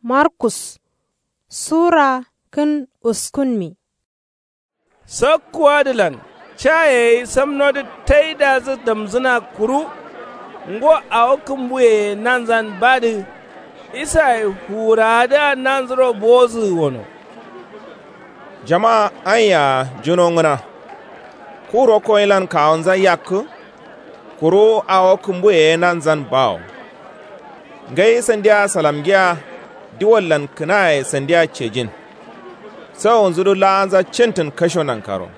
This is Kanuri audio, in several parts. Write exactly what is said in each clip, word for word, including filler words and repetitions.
Markus sura kǝn uskunmi. Sakkuwadǝlan ca yayi samnodǝ taidazǝ damzǝna kuru ngo awo kǝmbuyeye nanzan badǝ. Isaye fuwurawadǝa nanzuro bowozǝgǝ wono. Jama aiya junongǝna. Ku rokkoyilan kawunza yakkǝ. Kuru awo kǝmbuyeye nanzan bawo. Ngai sandiya salamgiya. Diwallan kǝnaye sandiya cejin. Sawunzudǝ la'anza cintǝn kasho nankaro.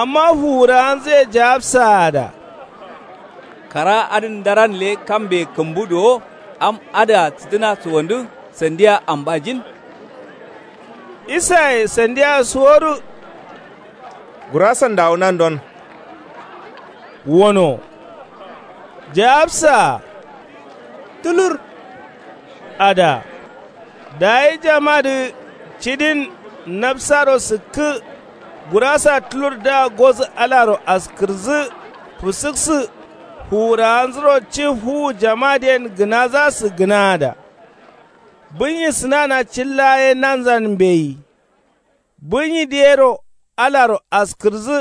Amma fuwurawanzǝye jawabsaa da. Kara adǝn ndaran le kambe kǝmbu duwo am adǝa sǝdǝna suwondǝ sandiya ambajin. Isaye sandiya suwodu. Gurasan dawu nandon. Wono. Jawabsaa. Tulur. Ada. Dayi jamadǝ cidin nabsaro sǝkkǝ. Gurasa tulurdǝa gozǝ alaro askǝrǝzǝ. Fǝsǝksǝ. Fuwurawanzuro ci fuwu jamadǝyen gǝnazasǝ gǝnaada. Bǝnyi sǝnana cilla ye nanzan mbeyi. Bǝnyi diyero alaro askǝrǝzǝ.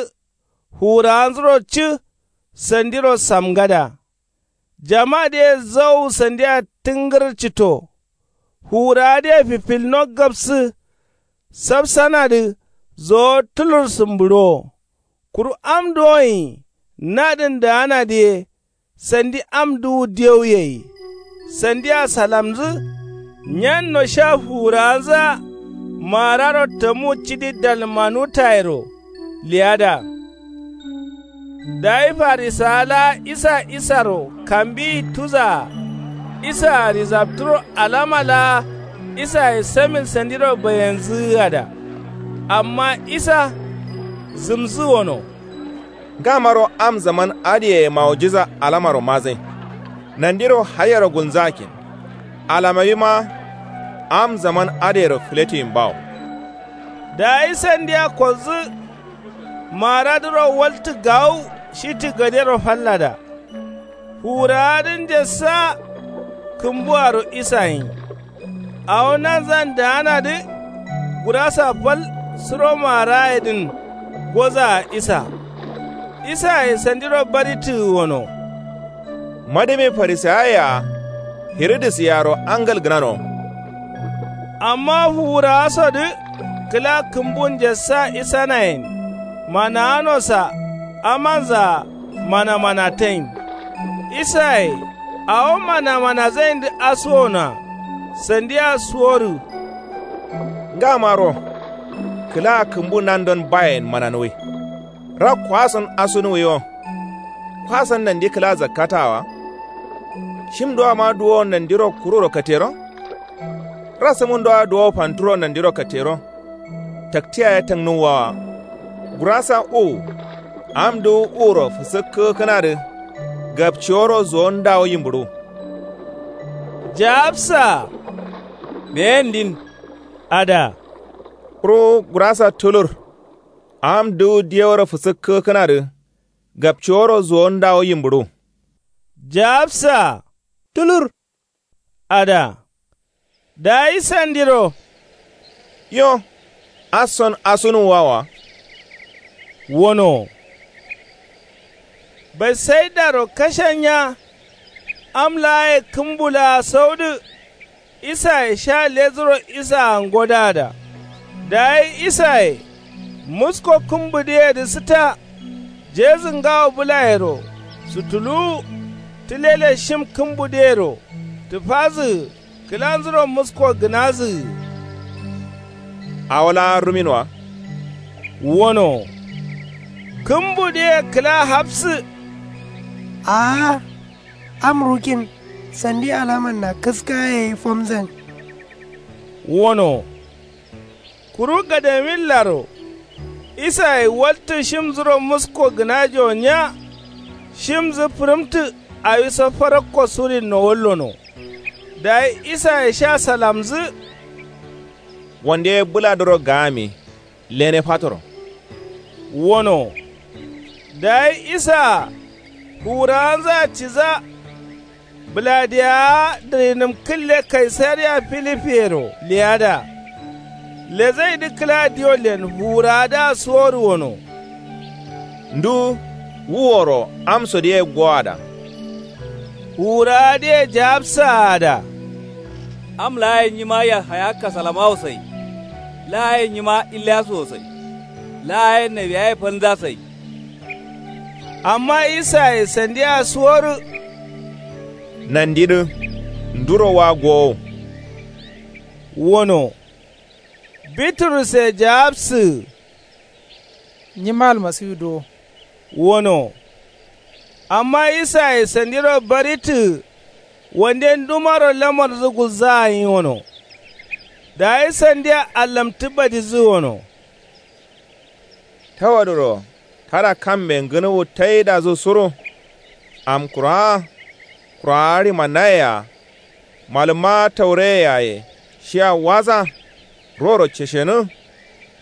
Fuwurawanzuro cǝ sandiro samgada. Jamadǝye zau sandia tǝngǝr cito. Fuwurawadǝye fifilno gabsǝ. Safsanadǝ zowo tulur sǝmbǝɍuwo. Kuru am duwonyi nadǝn daanadǝ ye. Sandi am duwu dewuyeyi. Sandia salamzǝ. Nyanno sha fuwurawanzǝa. Maararo tamu cidi dalmanutayero. Liyada. Dayi farisawa laa isa isaro kambiyi tuzaa. Isaa rizabturo alama laa. Isaye samin sandiro bayenzǝgǝada. Amma isa zǝmzǝ wono. Ngamaro am zaman adǝyeye maujiza alamaro mazǝn. Nandiro hayero gulnzakkin. Alamawima am zaman adǝyero fǝletiyin bawo. Dayi sandiya kodzǝ. Maradǝro waltǝ gawu shitǝ gadero fallada. Fuwurawadǝ njassa. Kǝmbuaro isayin. Awo nanzan daanadǝ. Gurasa fal suro maarayedǝn. Gozaa isa. Isaye sandiro barittǝgǝ wono. Madǝmi farisawayea. Hiridǝsiyaro angal gǝnano. Amma fuwurawasodǝ. Kǝla kǝmbun njassa isanayen. Manawanosa amanzaa. Manamanatain. Isaye awo manamanazayindǝ asuwonoa. Sandia suwodu. Ngamaro. Kǝla kǝmbu nandon bayen mananuwi. Rakkowason asunuwiwo. Kwasan nandi kǝla zakkatawa. Shim duwama duwo nandiro kururo katero. Rasǝmǝn duwa duwo fanturo nandiro katero. Taktiya ye tangnuwwawa. Gurasa uwu. Am duwu uwuro fǝsǝkkǝgǝ kǝnadǝ. Gapciworo zuwon dawu yimbǝɍu. Jawabsa. Meyendin. Ada. Kuru gurasa tulur. Am duwu diyeworo fǝsǝkkǝgǝ kǝnadǝ. Gapciworo zuwon dawu yimbǝɍu. Jawabsa. Tulur. Ada. Dayi sandiro. Yo. Ason asunuwwawa. Wono. Betsaidaro kashan nya. Am laaye kǝmbu laa saudǝ. Isaye sha lezuro isaa ngodada. Dayi isaye musko kǝmbudǝyedǝ sǝta. Jezǝ ngawo bǝlayero sutuluwu. Tǝlele shim kǝmbudǝyero tǝfazǝgǝ. Kǝlanzuro musko gǝnazǝgǝ. Awo laa rumin wa. Wono. Kǝmbudǝye kǝla hafsǝ. Aa. Am rukin. Sandi alamanna kǝskaye ye fomzan. Wono. Kuru gadamillaro. Isaye waltǝ shimzuro musko gǝnajo nya. Shimzǝ fǝrǝmtǝ. Awiso farakko surinno wallono. Dayi isaye sha salamzǝ. Wande bǝladǝro gaami. Lene fatoro. Wono. Dayi isaa fuwurawanzǝa ciza. Bǝladiyawaa dǝrinǝm kǝlle kaisariya filipiyero leyada. Lezaidǝ kǝla diyollen fuwurawadǝa suwodu wono. Ndu wu woro amsodǝ ye gowada? Fuwurawadǝye jawabsaada. Am laa ye nyima yahaya kasalamawo sai. Laa ye nyima iliyasuwo sai. Laa ye nawiyaye falnza sai. Amma isaye sandiya suwodu. Nandidǝ nduro wa gowo? Wono. Biturusse jawabsǝgǝ. Nyima almasiwu duwo. Wono. Amma isaye sandiro baritǝgǝ. Wande ndumaro lamardǝ gulzaa gǝnyi wono. Dayi sandiya allamtǝ badizǝgǝ wono. Tawadǝro tada kamme ngǝnuwu taidazǝ suru. Amkurawa kurawa rimanaye-a malǝmma taureye-aye shiya waza. Roro ceshenǝ.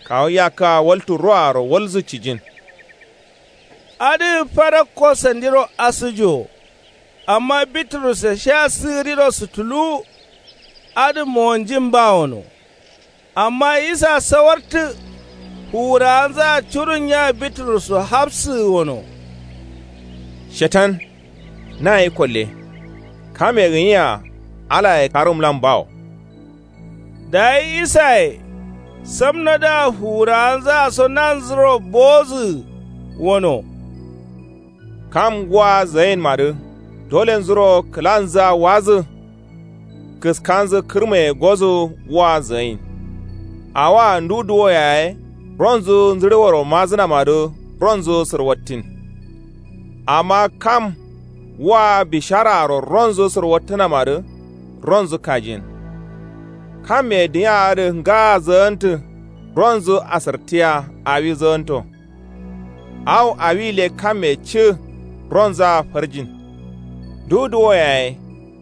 Kawu yakkǝa waltu roaro walzǝ cijin. Adǝ farakko sandiro asǝjo. Amma biturusse sha sǝgǝdiro sutuluwu. Adǝ mowonjin ba wono. Amma isa sawartǝ. Fuwurawanzaa curun nya biturusso hafsǝgǝ wono. Shetan nayi kolle. Kame gǝnyia alaye karumlan bawo. Dayi isaye samnodǝa fuwurawanzaa so nanzuro bowozǝgǝ wono. Kam wua zayin madǝ dolenzuro kǝlanzǝa wazǝ. Kǝskanzǝ kǝrmeye gozǝ wua zayin. Awoa ndu duwo yaye ronzǝ nzǝɍeworo mazǝnamadǝ ronzǝ sǝrwattin. Amma kam wua bisharaaro ronzǝ sǝrwattǝnamadǝ ronzǝ kajiyin. Kamme dinya adǝ ngaa zǝgǝntǝ ronzǝ asǝrtiya awi zǝgǝnto. Awo awile kamme cǝ ronzaa farjin. Ndu duwo yaye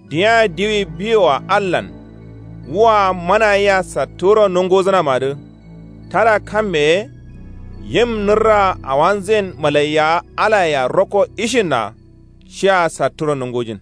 dinya diwi biwoa allan wua mana yea satturo nunguzǝnamadǝ. Tada kamme ye yim nǝrraa awanzuyen malaiyawa alayea rokko ishinna. Shia satturo nungujin.